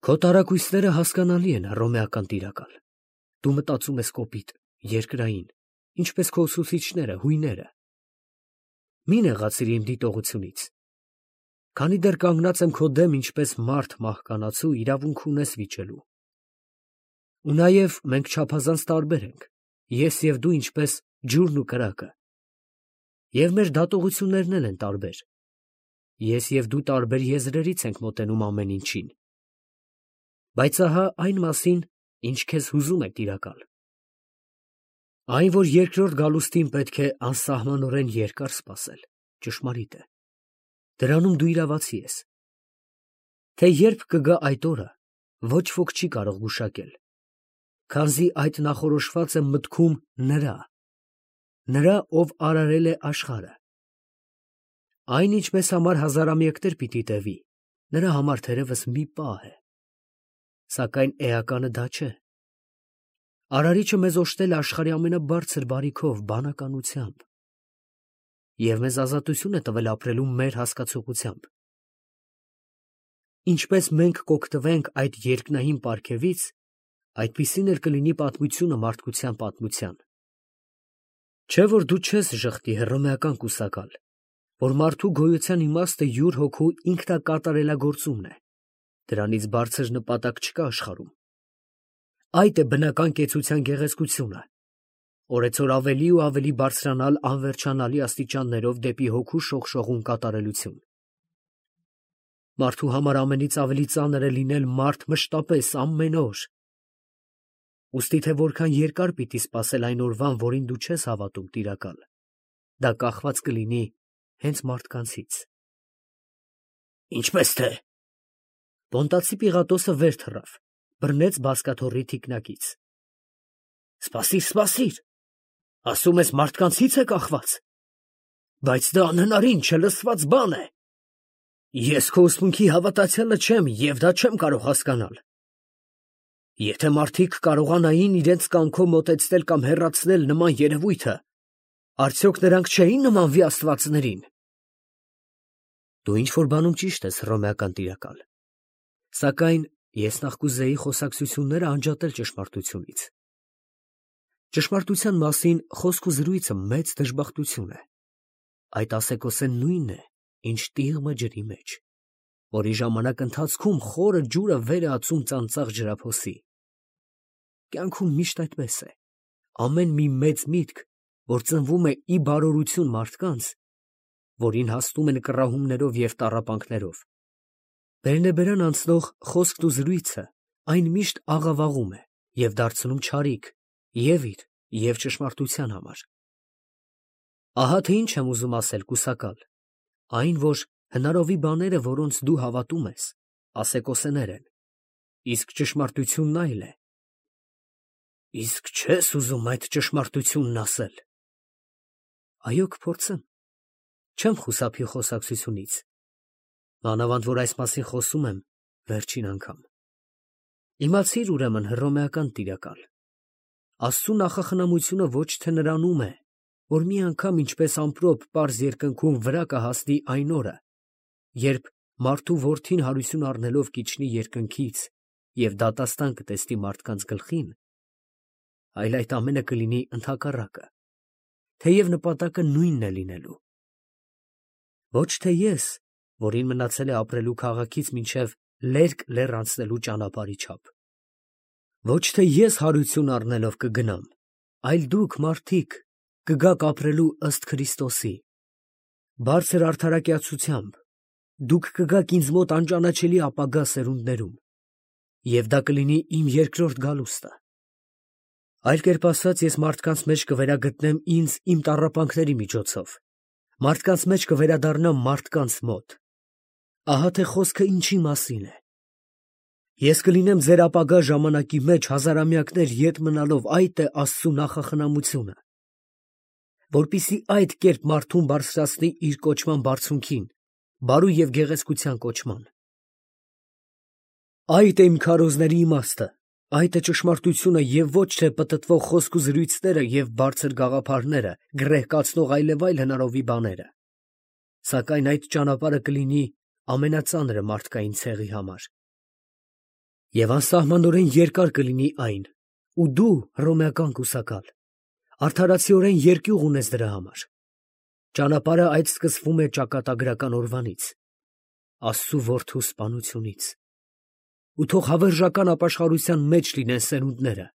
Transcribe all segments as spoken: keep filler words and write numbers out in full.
Քո տարակույսները հասկանալի են, հռոմեական տիրակալ։ Դու մտածում ես կոպիտ, երկրային, ինչպես քո ուսուցիչները, հույները։ Մի նեղացիր իմ դիտողությունից։ Քանի դեռ կանգնած եմ քո դեմ ինչպես մարդ մահկանացու, իրավունք ունես վիճելու։ Ու նաև մենք չափազանց տարբեր ենք, ես և դու ինչպես ջուրն ու կրակը։ Եվ մեր դատողություններն էլ են տարբեր։ Ես և դու տարբեր եզրերից ենք մոտենում ամեն ինչին։ Բայց ահա այն մասին, ինչ քեզ հուզում է տիրակալ։ Այն, որ երկրորդ գալուստին պետք է անսահմանորեն երկար սպասել, ճշմարիտ է։ Դրանում դու իրավացի ես։ Թե երբ կգա այդ օրը, ոչ ոք չի կարող գուշակել, քանզի այդ նախորոշված է մտքում նրա, նրա, ով արարել է աշխարհը։ Այն, ինչ մեզ համար հազարամյակներ պիտի տևի, նրա համար թերևս մի պահ է։ Սակայն էականը դա չէ։ Արարիչը մեզ օժտել է աշխարհի ամենաբարձր բարիքով, բանականությամբ, և մեզ ազատություն է տվել ապրելու մեր հասկացողությամբ։ Ինչպես մենք կօգտվենք այդ երկնային պարգևից, այդպիսին էլ կլինի պատմությունը մարդկության պատմության։ Չէ՞ որ դու չես ժխտի, հռոմեական կուսակալ, որ մարդու գոյության իմաստը յուր հոգու ինքնակատարելագործումն է, դրանից բարձր նպատակ չկա աշխարհում։ Այդ է բնական կեցության գեղեցկությունը, օրեցօր ավելի ու ավելի բարձրանալ անվերջանալի աստիճաններով դեպի հոգու շողշողուն կատարելություն։ Մարդու համար ամենից ավելի ծանր է լինել մարդ մշտապես ամեն օր։ Ուստի թե որքան երկար պիտի սպասել այն օրվան, որին դու չես հավատում, տիրակալ, դա կախված կլինի հենց մարդկանցից։ Ինչպես թե։ Պոնտացի Պիղատոսը վեր թռավ, բռնեց բազկաթոռի թիկնակից։ Սպասիր, սպասիր, ասում ես մարդկանցից է կախված։ Բայց դա անհնարին, չլսված բան է։ Ես քո ուսմունքի հավատացյալը չեմ և դա չեմ կարող հասկանալ։ Եթե մարդիկ կարողանային իրենց կամքով մոտեցնել կամ հեռացնել նման երևույթը, արդյոք նրանք չէին նմանվի աստվածներին։ Դու ինչ-որ բանում ճիշտ ես, հռոմեական տիրակալ, սակայն ես նախ կուզեի խոսակցությունները անջատել ճշմարտությունից։ Ճշմարտության մասին խոսք ու զրույցը մեծ դժբախտություն է։ Այդ ասեկոսեն նույնն է, ինչ տիղմը ջրի մեջ, որի ժամանակ ընթացքում խորը ջուրը վեր է ածում ծանծաղ ջրափոսի։ Կյանքում միշտ այդպես է։ Ամեն մի մեծ միտք, որ ծնվում է ի բարօրություն մարդկանց, որին հասնում են կռահումներով և տառապանքներով, բերնեբերան անցնող խոսքն ու զրույցը, այն միշտ աղավաղում է և դարձնում չարիք և իր, և ճշմարտության համար։ Ահա թե ինչ եմ ուզում ասել, կուսակալ, այն, որ հնարովի բաները, որոնց դու հավատում ես, ասեկոսեներ են, իսկ ճշմարտությունն այլ է։ Իսկ չե՞ս ուզում այդ ճշմարտությունն ասել։ Այո, կփորձեմ։ Չեմ խուսափի խոսակցությունից, մանավանդ որ այս մասին խոսում եմ վերջին անգամ։ Իմացիր ուրեմն, հռոմեական տիրակալ, Աստծու նախախնամությունը ոչ թե նրանում է, որ մի անգամ ինչպես ամպրոպ պարզ երկնքում վրա կհասնի այն օրը, երբ մարդու որդին հարություն առնելով կիջնի երկնքից և դատաստան կտեսնի մարդկանց գլխին, այլ այդ ամենը կլինի ընդհակառակը, թեև նպատակը նույնն է լինելու։ Ոչ թե ես, որին մնացել է ապրելու քաղաքից մինչև լերկ լեռ անցնելու ճանապարհի չափ։ Ոչ թե ես հարություն առնելով կգնամ, այլ դուք, մարդիկ, կգաք ապրելու ըստ Քրիստոսի։ Բարձր արդարակյացությամբ դուք կգաք ինձ մոտ անճանաչելի ապագա սերունդներում, և դա կլինի իմ երկրորդ գալուստը։ Այլ կերպ ասած, ես մարդկանց մեջ կվերագտնեմ ինձ իմ տառապանքների միջոցով, մարդկանց մեջ կվերադառնամ մարդկանց մոտ։ Ահա թե խոսքը ինչի մասին է։ Ես կլինեմ ձեր ապագա ժամանակի մեջ հազարամյակներ ետ մնալով, այդ է Աստծու նախախնամությունը, որպեսզի այդ կերպ մարդուն բարձրացնի իր կոչման բարձունքին, բարու և գեղեցկության կոչման։ Այդ է իմ քարոզների իմաստը, այդ է ճշմարտությունը և ոչ թե պտտվող խոսք ու զրույցները և բարձր գաղափարները, գռեհկացնող այլևայլ հնարովի բաները։ Սակայն այդ ճանապարհը կլինի ամենածանրը մարդկային ցեղի համար։ Եվ անսահմանորեն երկար կլինի այն, ու դու, հռոմեական կուսակալ, արդարացիորեն երկյուղ ունես դրա համար։ Ճանապարհը այդ սկսվում է ճակատագրական օրվանից, Աստծու որդու սպանությունից։ Ու թող հավերժական ապաշխարության մեջ լինեն սերունդները,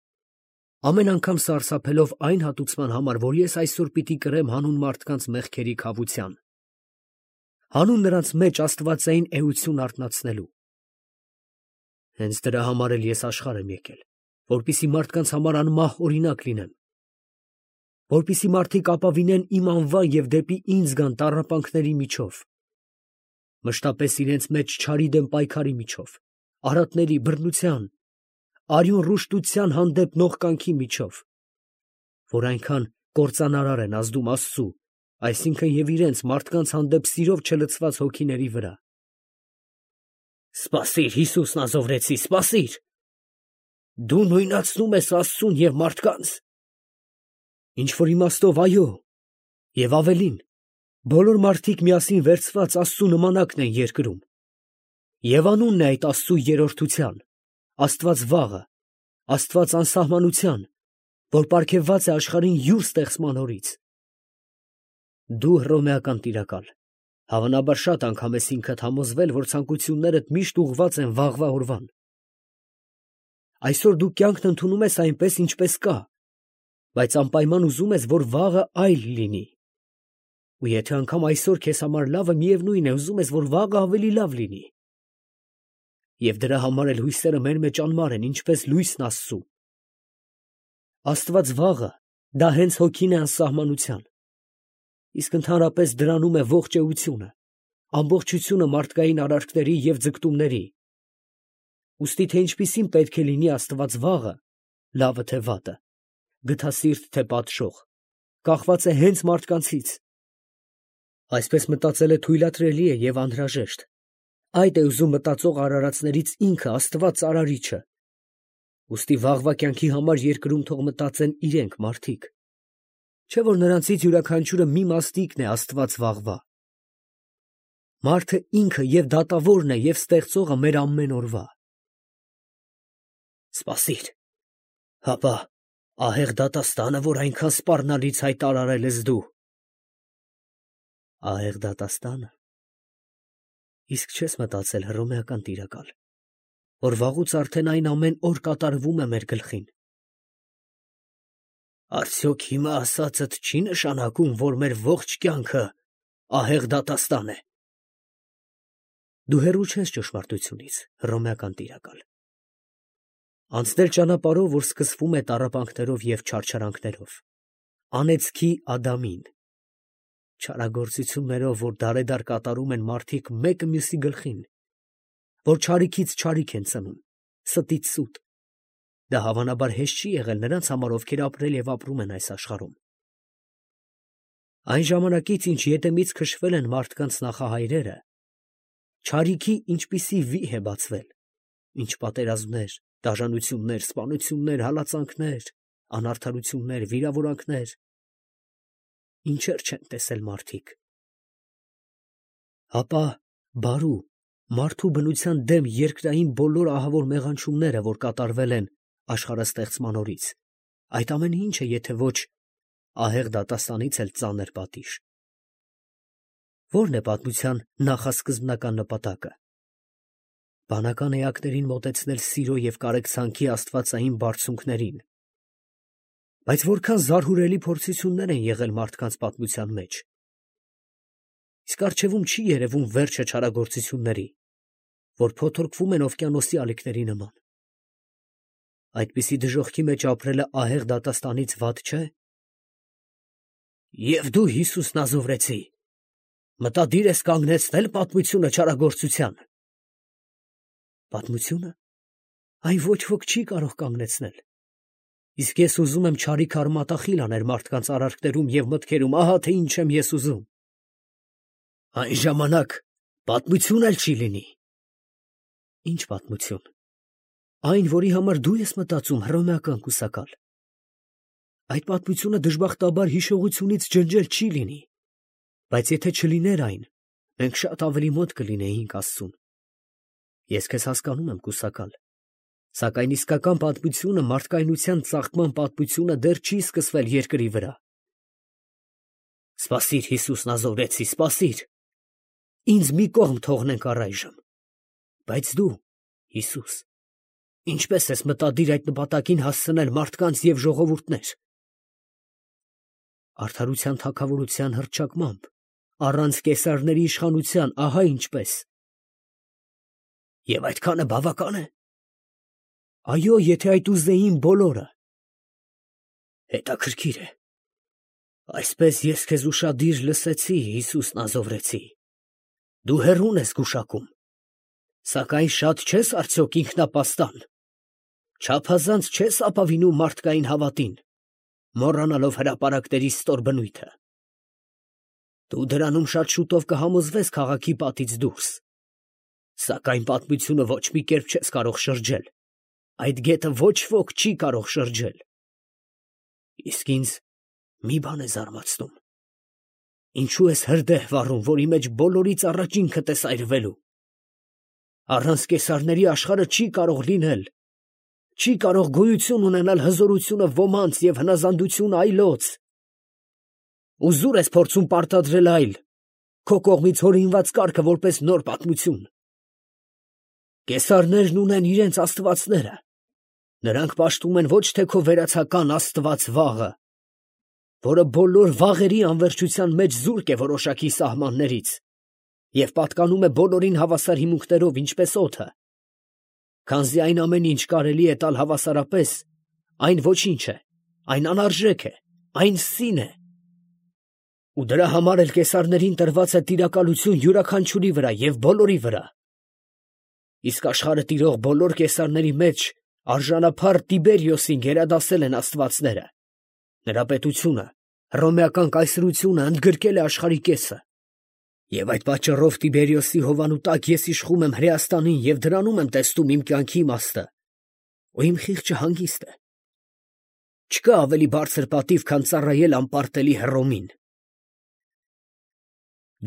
ամեն անգամ սարսափելով այն հատուցման համար, որ ես այսօր պիտի կրեմ հանուն մարդկանց մեղքերի քավության, հանուն նրանց մեջ աստվածային էություն արթնացնելու։ Հենց դրա համար էլ ես աշխարհ եմ եկել, որպեսզի մարդկանց համար անմահ օրինակ լինեմ, որպեսզի մարդիկ ապավինեն իմ անվան և դեպի ինձ գան տառապանքների միջով, մշտապես իրենց մեջ չարի դեմ պայքարի միջով, արատների, բռնության, արյուն ռուշտության հանդեպ նողկանքի միջով, որ այնքան կործանարար են ազդում Աստծու, այսինքն և իրենց մարդկանց հանդեպ սիրով չլցված հոգիների վրա։ Սպասիր, Հիսուս Նազովրեցի, սպասիր. դու նույնացնում ես Աստծուն և մարդկանց։ Ինչ որ իմաստով, այո, և ավելին, բոլոր մարդիկ միասին վերցված Աստծու նմանակն են երկրում, և անունն է այդ Աստծու երրորդության, Աստված վաղը, Աստված անսահմանության, որ պարգևված է աշխարհին յուր ստեղծման օրից։ Դու, հռոմեական տիրակալ, հավանաբար շատ անգամ ես ինքդ համոզվել, որ ցանկություններդ միշտ ուղղված են վաղվա օրվան։ Այսօր դու կյանքն ընդունում ես այնպես, ինչպես կա, բայց անպայման ուզում ես, որ վաղը այլ լինի։ Ու եթե անգամ այսօր քեզ համար լավը, միևնույն է, ուզում ես, որ վաղը ավելի լավ լինի։ Եվ դրա համար էլ հույսերը մեր մեջ անմար են, ինչպես լույսն Աստծու։ Աստված վաղը, դա հենց հոգին է անսահմանության, իսկ ընդհանրապես դրանում է ողջ էությունը, ամբողջությունը մարդկային արարքների և ձգտումների։ Ուստի թե ինչպիսին պետք է լինի Աստված վաղը, լավը թե վատը, գթասիրտ թե պատշող, կախված է հենց մարդկանցից։ Այսպես մտածելը թույլատրելի է և անհրաժեշտ։ Այդ է ուզում մտածող արարածներից ինքը Աստված Արարիչը։ Ուստի վաղվա կյանքի համար երկրում թող մտածեն իրենք մարդիկ, չէ՞ որ նրանցից յուրաքանչյուրը մի մաստիկն է Աստված վաղվա։ Մարդը ինքը և դատավորն է և ստեղծողը մեր ամեն օրվա։ Սպասիր, հապա ահեղ դատաստանը, որ այնքան սպառնալից հայտարարել ես դու։ Ահեղ դատաստանը։ Իսկ չես մտածել, հռոմեական տիրակալ, որ վաղուց արդեն այն ամեն օր կատարվում է մեր գլխին։ Արդյոք հիմա ասածդ չի նշանակում, որ մեր ողջ կյանքը ահեղ դատաստան է։ Դու հեռու չես ճշմարտությունից, հռոմեական տիրակալ։ Անցնել ճանապարհով, որ սկսվում է տառապանքներով և չարչարանքներով, անեծքի Ադամին, չարագործություններով, որ դարեդար կատարում են մարդիկ մեկը մյուսի գլխին, որ չարիքից չարիք են ծնում, ստից սուտ։ Դա հավանաբար հեշտ չի եղել նրանց համար, ովքեր ապրել և ապրում են այս աշխարհում։ Այն ժամանակից, ինչ ետեմից քշվել են մարդկանց նախահայրերը, չարիքի ինչպիսի վիհ է բացվել, ինչ պատերազմներ, դաժանություններ, սպանություններ, հալածանքներ, անարդարություններ, վիրավորանքներ, ինչեր չեն տեսել մարդիկ։ Հապա բարու, մարդու բնության դեմ երկրային բոլոր ահավոր մեղանչումները, որ կատարվել են աշխարհաստեղծման օրից, այդ ամենը ինչ է, եթե ոչ ահեղ դատաստանից էլ ծանր պատիժ։ Ո՞րն է պատմության նախասկզբնական նպատակը։ Բանական էակներին մոտեցնել սիրո և կարեկցանքի աստվածային բարձունքներին։ Բայց որքան զարհուրելի փորձություններ են եղել մարդկանց պատմության մեջ։ Իսկ առջևում չի երևում վերջը չարագործությունների, որ փոթորկվում են օվկիանոսի ալիքների նման։ Այդպիսի դժոխքի մեջ ապրելը ահեղ դատաստանից վատ չէ։ Եվ դու, Հիսուս Նազովրեցի, մտադիր ես կանգնեցնել պատմությունը չարագործության։ Պատմությունը։ Այն ոչ ոք չի կարող կանգնեցնել։ Իսկ ես ուզում եմ չարիք արմատախիլ անել մարդկանց արարքներում և մտքերում, ահա թե ինչ եմ ես ուզում։ Այն ժամանակ պատմություն էլ չի լինի։ Ինչ պատմություն։ Այն, որի համար դու ես մտածում, հռոմեական կուսակալ։ Այդ պատմությունը դժբախտաբար հիշողությունից ջնջել չի լինի, բայց եթե չլիներ այն, մենք շատ ավելի մոտ կլինեինք Աստծուն։ Ես քեզ հասկանում եմ, կուսակալ, Սակայն իսկական պատմությունը, մարդկայնության ծաղկման պատմությունը դեռ չի սկսվել երկրի վրա։ Սպասիր, Հիսուս Նազովրեցի, սպասիր, ինձ մի կողմ թողնենք առայժմ, բայց դու, Հիսուս, ինչպես ես մտադիր այդ նպատակին հասցնել մարդկանց և ժողովուրդներ։ Արդարության թագավորության հռչակմամբ, առանց կեսարների իշխանության, ահա ինչպես։ Եվ այդքանը բավական է։ Այո, եթե այդ ուզեին բոլորը։ Հետաքրքիր է։ Այսպես ես քեզ ուշադիր լսեցի, Հիսուս Նազովրեցի։ Դու հեռուն ես գուշակում, սակայն շատ չես արդյոք ինքնապաստան, չափազանց չես ապավինում մարդկային հավատին, մոռանալով հրապարակների ստոր բնույթը։ Դու դրանում շատ շուտով կհամոզվես քաղաքի պատից դուրս, սակայն պատմությունը ոչ մի կերպ չես կարող շրջել, այդ գետը ոչ ոք չի կարող շրջել։ Իսկ ինձ մի բան է զարմացնում. ինչու ես հրդեհ վառում, որի մեջ բոլորից առաջ ինքդ ես այրվելու։ Առանց կեսարների աշխարհը չի կարող լինել, չի կարող գոյություն ունենալ հզորությունը ոմանց և հնազանդությունը այլոց։ Ուզուր ես փորձում պարտադրել այլ, քո կողմից հորինված կարգը որպես նոր պատմություն։ Կեսարներն ունեն իրենց աստվածները, նրանք պաշտում են ոչ թե քո վերացական աստված վաղը, որը բոլոր վաղերի անվերջության մեջ զուրկ է որոշակի սահմաններից և պատկանում է բոլորին հավասար հիմունքներով, ինչպես օդը։ Քանզի այն ամեն ինչ կարելի է տալ հավասարապես, այն ոչինչ է, այն անարժեք է, այն սին է։ Ու դրա համար էլ կեսարներին տրված է տիրակալություն յուրաքանչյուրի վրա և բոլորի վրա։ Իսկ աշխարհը տիրող բոլոր կեսարների մեջ արժանափառ Տիբերիոսին գերադասել են աստվածները։ Նրա պետությունը, հռոմեական կայսրությունը ընդգրկել է աշխարհի կեսը։ Եվ այդ պատճառով Տիբերիոսի հովանու տակ ես իշխում եմ Հրեաստանին և դրանում եմ տեսնում իմ կյանքի իմաստը, ու իմ խիղճը հանգիստ է։ Չկա ավելի բարձր պատիվ, քան ծառայել անպարտելի Հռոմին։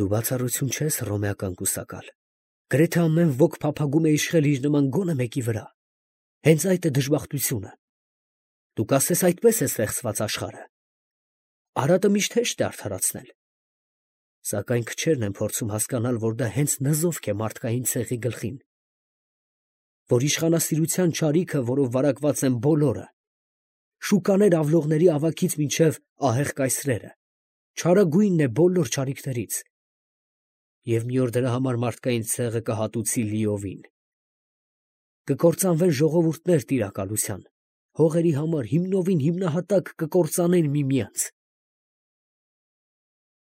Դու բացառություն չես, հռոմեական կուսակալ։ Գրեթե ամեն ոք փափագում է իշխել իր նման գոնե մեկի վրա։ Հենց այդ է դժբախտությունը։ Դու կասես, այդպես է ստեղծված աշխարհը։ Արատը միշտ հեշտ է արդարացնել։ Սակայն քչերն են փորձում հասկանալ, որ դա հենց նզովք է մարդկային ցեղի գլխին, որ իշխանասիրության չարիքը, որով վարակված են բոլորը, շուկաներ ավլողների ավագից մինչև ահեղ կայսրերը, չարագույնն է բոլոր չարիքներից, և մի օր դրա համար մարդկային ցեղը կհատուցի լիովին։ Կկործանվեն ժողովուրդներ տիրակալության, հողերի համար հիմնովին հիմնահատակ կկործանեն միմյանց։